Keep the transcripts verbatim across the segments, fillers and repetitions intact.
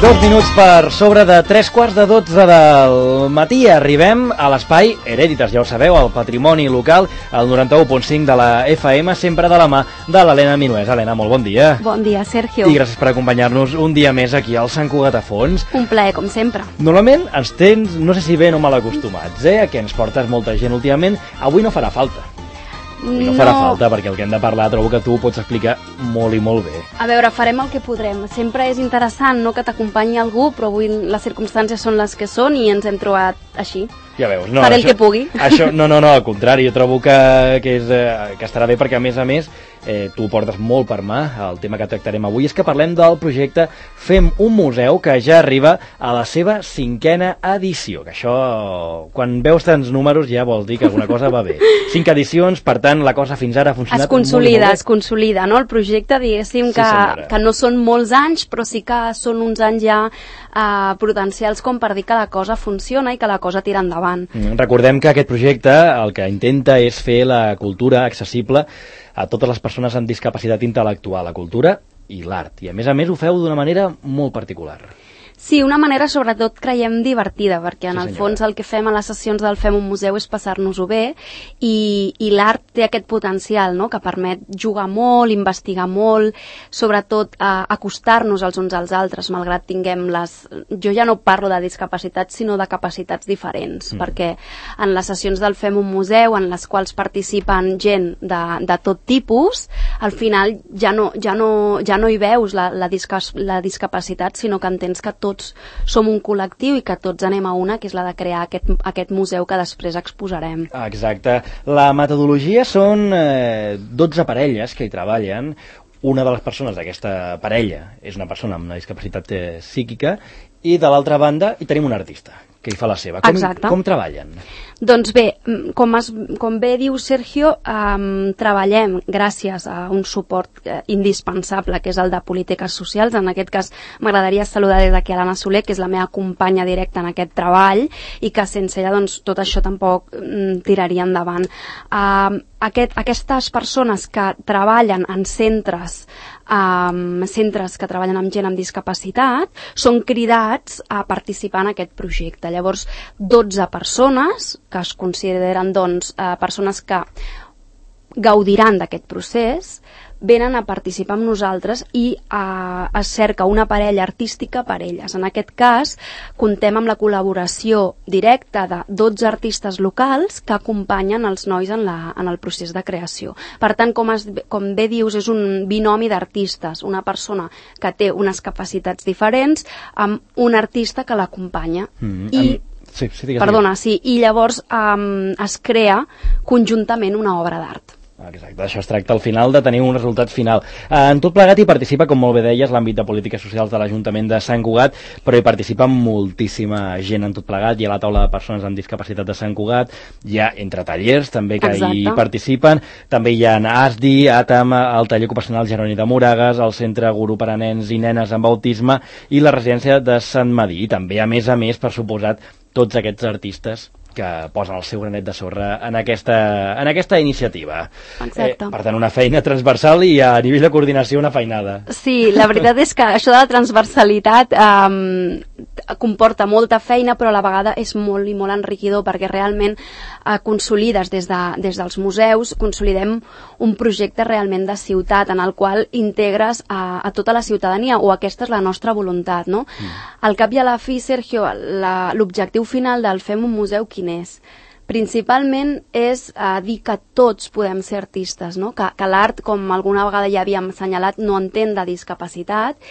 Dos minuts per sobre de tres quarts de dotze del matí. Arribem a l'espai Herèditas, ja ho sabeu, el patrimoni local, al noranta-u punt cinc de la F M, sempre de la mà de l'Helena Minuès. Helena, molt bon dia. Bon dia, Sergio. I gràcies per acompanyar-nos un dia més aquí al Sant Cugat a Fons. Un plaer, com sempre. Normalment ens tens, no sé si ben o mal acostumats, eh, que ens portes molta gent últimament. Avui no farà falta. Avui no, no farà falta, perquè el que hem de parlar trobo que tu ho pots explicar molt i molt bé. A veure, farem el que podrem. Sempre és interessant, no?, que t'acompanyi algú, però avui les circumstàncies són les que són i ens hem trobat així. Ja veus, no, Faré això, el que pugui. Això, no, no, no, al contrari, jo trobo que, que, és, eh, que estarà bé perquè, a més a més, eh, tu ho portes molt per mà. El tema que tractarem avui és que parlem del projecte Fem un museu, que ja arriba a la seva cinquena edició, que això, quan veus tants números, ja vol dir que alguna cosa va bé. Cinc edicions, per tant, la cosa fins ara ha funcionat es consolida, molt, molt bé. Es consolida, no?, el projecte, diguéssim, Sí, que, senyora. que no són molts anys, però sí que són uns anys ja eh, potencials com per dir que la cosa funciona i que la cosa tira endavant. Recordem que aquest projecte el que intenta és fer la cultura accessible a totes les persones amb discapacitat intel·lectual, la cultura i l'art. I a més a més ho feu d'una manera molt particular. Sí, una manera sobretot creiem divertida, perquè en Sí, el senyora. fons el que fem a les sessions del Fem un museu és passar-nos-ho bé i, i l'art té aquest potencial, no?, que permet jugar molt, investigar molt, sobretot eh, acostar-nos els uns als altres, malgrat tinguem les... Jo ja no parlo de discapacitats, sinó de capacitats diferents, mm. perquè en les sessions del Fem un museu, en les quals participen gent de, de tot tipus, al final ja no, ja no, ja no hi veus la, la, disca, la discapacitat, sinó que entens que tots som un col·lectiu i que tots anem a una, que és la de crear aquest, aquest museu que després exposarem. Exacte. La metodologia són eh, dotze parelles que hi treballen. Una de les persones d'aquesta parella és una persona amb una discapacitat eh, psíquica i de l'altra banda hi tenim un artista que hi fa la seva. Com, Exacte. com treballen? Doncs bé, com, es, com bé diu Sergio, um, treballem gràcies a un suport eh, indispensable, que és el de polítiques socials. En aquest cas m'agradaria saludar des d'aquí a l'Anna Soler, que és la meva companya directa en aquest treball i que sense ella doncs, tot això tampoc mm, tiraria endavant. Uh, aquest, aquestes persones que treballen en centres Um, centres que treballen amb gent amb discapacitat són cridats a participar en aquest projecte. Llavors, dotze persones que es consideren doncs, uh, persones que gaudiran d'aquest procés venen a participar amb nosaltres i uh, es cerca una parella artística per elles. En aquest cas, comptem amb la col·laboració directa de dotze artistes locals que acompanyen els nois en, la, en el procés de creació. Per tant, com, es, com bé dius, és un binomi d'artistes, una persona que té unes capacitats diferents amb un artista que l'acompanya. Mm, I amb... Sí, sí, digues, Perdona, digues. sí, i llavors um, es crea conjuntament una obra d'art. Exacte, això es tracta al final de tenir un resultat final. En tot plegat hi participa, com molt bé deies, l'àmbit de polítiques socials de l'Ajuntament de Sant Cugat, però hi participa moltíssima gent en tot plegat. Hi ha la taula de persones amb discapacitat de Sant Cugat, hi ha entre tallers també que Exacte. hi participen, també hi ha A S D I, ATAM, el taller ocupacional Jeroni de Moragas, el centre Guru per a nens i nenes amb autisme i la residència de Sant Madí. I també, a més a més, per suposat, tots aquests artistes que posen el seu granet de sorra en aquesta, en aquesta iniciativa. Exacte. Eh, per tant, una feina transversal i a nivell de coordinació una feinada. Sí, la veritat és que això de la transversalitat um, comporta molta feina, però a la vegada és molt i molt enriquidor, perquè realment uh, consolides des, de, des dels museus, consolidem un projecte realment de ciutat en el qual integres a, a tota la ciutadania, o aquesta és la nostra voluntat, no? Mm. Al cap i a la fi, Sergio, l'objectiu final del Fem un museu quin és? Principalment és eh, dir que tots podem ser artistes, no? Que, que l'art, com alguna vegada ja havíem assenyalat, no entén de discapacitat,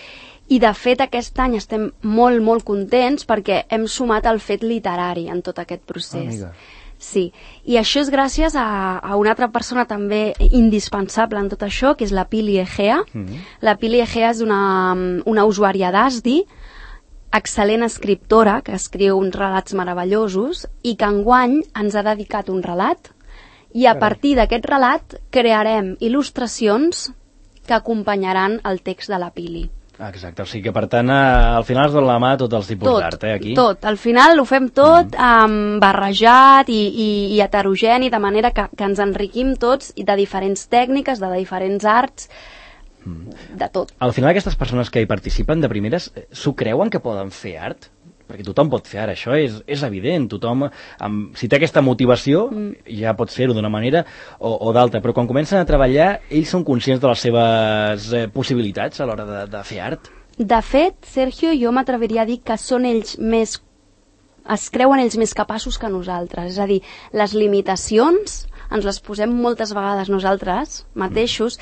i de fet aquest any estem molt, molt contents perquè hem sumat el fet literari en tot aquest procés. Amiga. Sí, i això és gràcies a, a una altra persona també indispensable en tot això, que és la Pili Egea. Mm-hmm. La Pili Egea és una, una usuària d'A S D I, excel·lent escriptora, que escriu uns relats meravellosos i que enguany ens ha dedicat un relat, i a partir d'aquest relat crearem il·lustracions que acompanyaran el text de la Pili. Exacte, o sigui que per tant al final es dona la mà a tots els tipus d'art, eh, aquí? Tot, al final ho fem tot mm. um, barrejat i, i, i heterogeni, de manera que, que ens enriquim tots de diferents tècniques, de diferents arts, mm. de tot. Al final aquestes persones que hi participen de primeres s'ho creuen que poden fer art? Perquè tothom pot fer art, això és, és evident, tothom, amb, si té aquesta motivació, mm. ja pot fer-ho d'una manera o, o d'altra, però quan comencen a treballar, ells són conscients de les seves eh, possibilitats a l'hora de, de fer art? De fet, Sergio, jo m'atreviria a dir que són ells més, es creuen ells més capaços que nosaltres, és a dir, les limitacions ens les posem moltes vegades nosaltres mateixos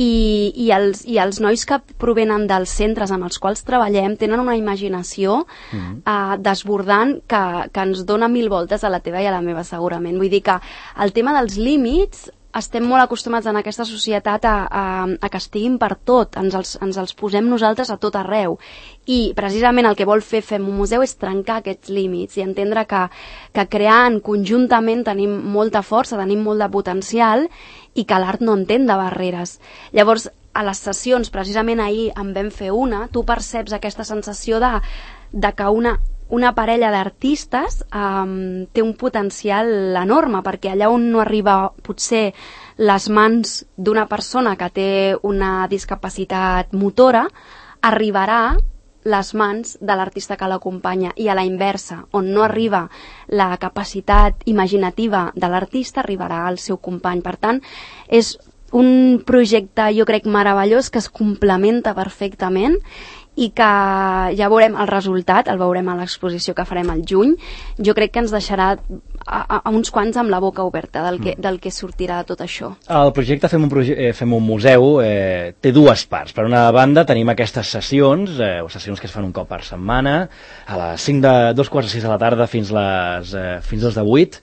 i, i, els, i els nois que provenen dels centres amb els quals treballem tenen una imaginació mm. eh, desbordant que, que ens dona mil voltes a la teva i a la meva segurament. Vull dir que el tema dels límits estem molt acostumats en aquesta societat a, a, a que estiguin per tot, ens els, ens els posem nosaltres a tot arreu. I precisament el que vol fer Fem un museu és trencar aquests límits i entendre que, que creant conjuntament tenim molta força, tenim molt de potencial i que l'art no entén de barreres. Llavors, a les sessions, precisament ahir en vam fer una, tu perceps aquesta sensació de, de que una... una parella d'artistes um, té un potencial enorme, perquè allà on no arriba potser les mans d'una persona que té una discapacitat motora, arribarà les mans de l'artista que l'acompanya, i a la inversa, on no arriba la capacitat imaginativa de l'artista, arribarà al seu company. Per tant, és un projecte, jo crec, meravellós, que es complementa perfectament i que ja veurem el resultat, el veurem a l'exposició que farem al juny. Jo crec que ens deixarà a, a, a uns quants amb la boca oberta del que, del que sortirà de tot això. El projecte Fem un, proje eh, Fem un museu eh, té dues parts. Per una banda tenim aquestes sessions, eh, sessions que es fan un cop per setmana, a les cinc de, dos quarts de sis de la tarda fins les eh, fins les de vuit.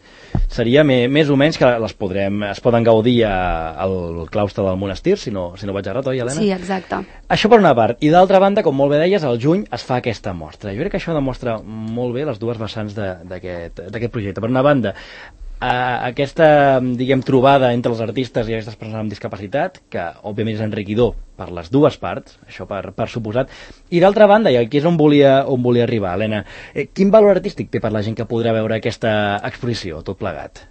Seria me, més o menys que les podrem, es poden gaudir a, al claustre del monestir, si no, si no vaig errat, oi, Helena? Sí, exacte. Això per una part. I d'altra banda, com molt bé deies, al juny es fa aquesta mostra. Jo crec que això demostra molt bé les dues vessants d'aquest projecte. Per una banda, Uh, aquesta, diguem, trobada entre els artistes i aquestes persones amb discapacitat, que òbviament és enriquidor per les dues parts, això per, per suposat, i d'altra banda, i aquí és on volia, on volia arribar, Helena, eh, quin valor artístic té per la gent que podrà veure aquesta exposició, tot plegat?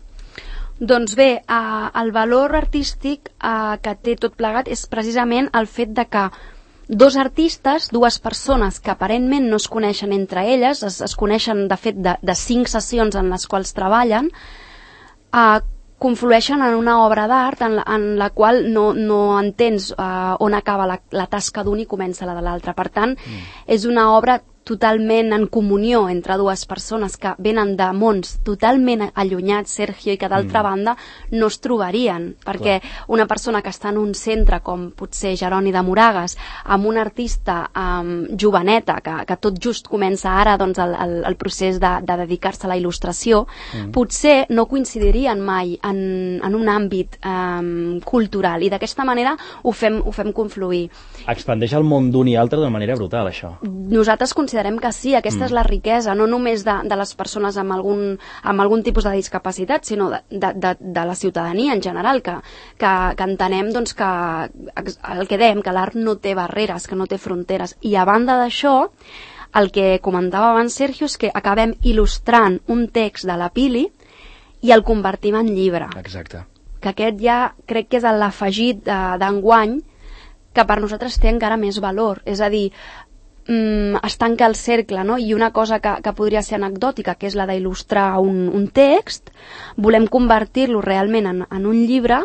Doncs bé, uh, el valor artístic uh, que té tot plegat és precisament el fet de que dos artistes, dues persones que aparentment no es coneixen entre elles, es, es coneixen de fet de, de cinc sessions en les quals treballen, Uh, conflueixen en una obra d'art en, la, en la qual no, no entens uh, on acaba la, la tasca d'un i comença la de l'altre. Per tant, mm. és una obra totalment en comunió entre dues persones que venen de mons totalment allunyats, Sergio, i que d'altra mm. banda no es trobarien, perquè Clar. Una persona que està en un centre com potser Jeroni de Moragas, amb un artista um, joveneta que, que tot just comença ara doncs, el, el, el procés de, de dedicar-se a la il·lustració, mm. potser no coincidirien mai en, en un àmbit um, cultural, i d'aquesta manera ho fem, ho fem confluir. Expandeix el món d'un i altre d'una manera brutal, això. Nosaltres considerem que sí, aquesta mm. és la riquesa, no només de, de les persones amb algun, amb algun tipus de discapacitat, sinó de, de, de, de la ciutadania en general, que, que, que entenem doncs, que el que dèiem, que l'art no té barreres, que no té fronteres. I a banda d'això, el que comentava abans Sergio és que acabem il·lustrant un text de la Pili i el convertim en llibre. Exacte. Que aquest ja crec que és l'afegit d'enguany que per nosaltres té encara més valor. És a dir, es tanca el cercle, no? I una cosa que, que podria ser anecdòtica, que és la d'il·lustrar un, un text, volem convertir-lo realment en, en un llibre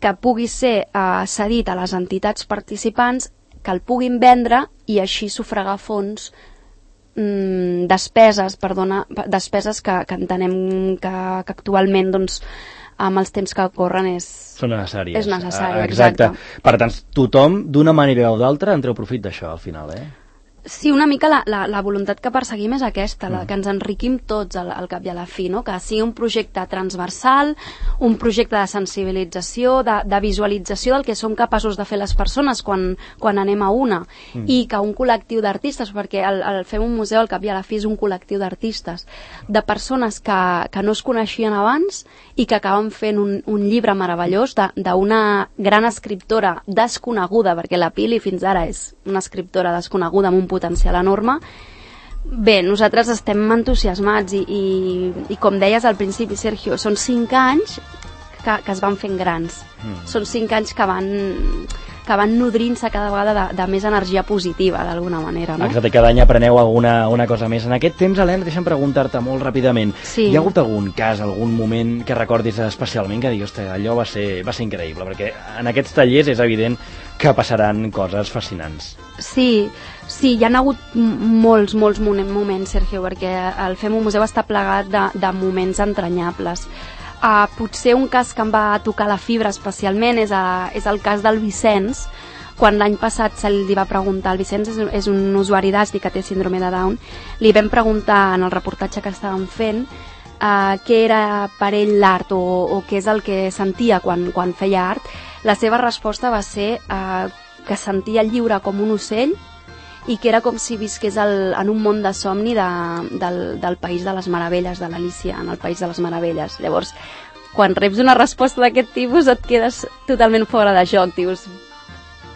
que pugui ser eh, cedit a les entitats participants, que el puguin vendre i així sufragar fons, mm, despeses, perdona, despeses que, que entenem que, que actualment doncs, amb els temps que corren és... Són necessàries. És necessari, exacte. exacte. Per tant, tothom, d'una manera o d'altra, en treu profit d'això, al final, eh? Sí, una mica la, la, la voluntat que perseguim és aquesta, la, que ens enriquim tots al, al cap i a la fi, no? Que sigui un projecte transversal, un projecte de sensibilització, de, de visualització del que som capaços de fer les persones quan, quan anem a una, mm. i que un col·lectiu d'artistes, perquè el, el Fem un museu al cap i a la fi és un col·lectiu d'artistes, de persones que, que no es coneixien abans i que acaben fent un, un llibre meravellós d'una gran escriptora desconeguda, perquè la Pili fins ara és una escriptora desconeguda amb un potencial enorme. Bé, nosaltres estem entusiasmats i, i, i com deies al principi, Sergio, són cinc anys que, que es van fent grans. Mm. Són cinc anys que van, que van nodrint-se cada vegada de, de més energia positiva, d'alguna manera, no? Exacte, cada any apreneu alguna una cosa més. En aquest temps, Helena, deixa'm preguntar-te molt ràpidament, sí. Hi ha hagut algun cas, algun moment que recordis especialment que diguis, ostres, allò va ser, va ser increïble, perquè en aquests tallers és evident que passaran coses fascinants. Sí, sí, hi ha hagut molts, molts moments, Sergio, perquè el Fem un Museu està plegat de, de moments entranyables. Uh, potser un cas que em va tocar la fibra especialment és, a, és el cas del Vicenç, quan l'any passat se li va preguntar, el Vicenç és, és un usuari d'A S D I que té síndrome de Down, li vam preguntar en el reportatge que estàvem fent uh, què era per ell l'art o, o què és el que sentia quan, quan feia art. La seva resposta va ser uh, que sentia lliure com un ocell i que era com si visqués el, en un món de somni de, del, del País de les Meravelles, de l'Alícia, en el País de les Meravelles. Llavors, quan reps una resposta d'aquest tipus et quedes totalment fora de joc, dius,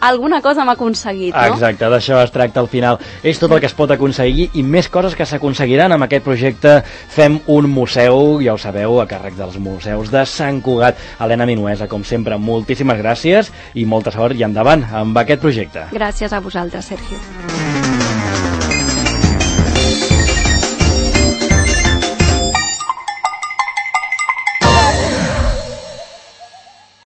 alguna cosa m'ha aconseguit, no? Exacte, d'això es tracta al final. És tot el que es pot aconseguir i més coses que s'aconseguiran amb aquest projecte Fem un Museu, ja ho sabeu, a càrrec dels museus de Sant Cugat. Helena Minuesa, com sempre, moltíssimes gràcies i molta sort i endavant amb aquest projecte. Gràcies a vosaltres, Sergio.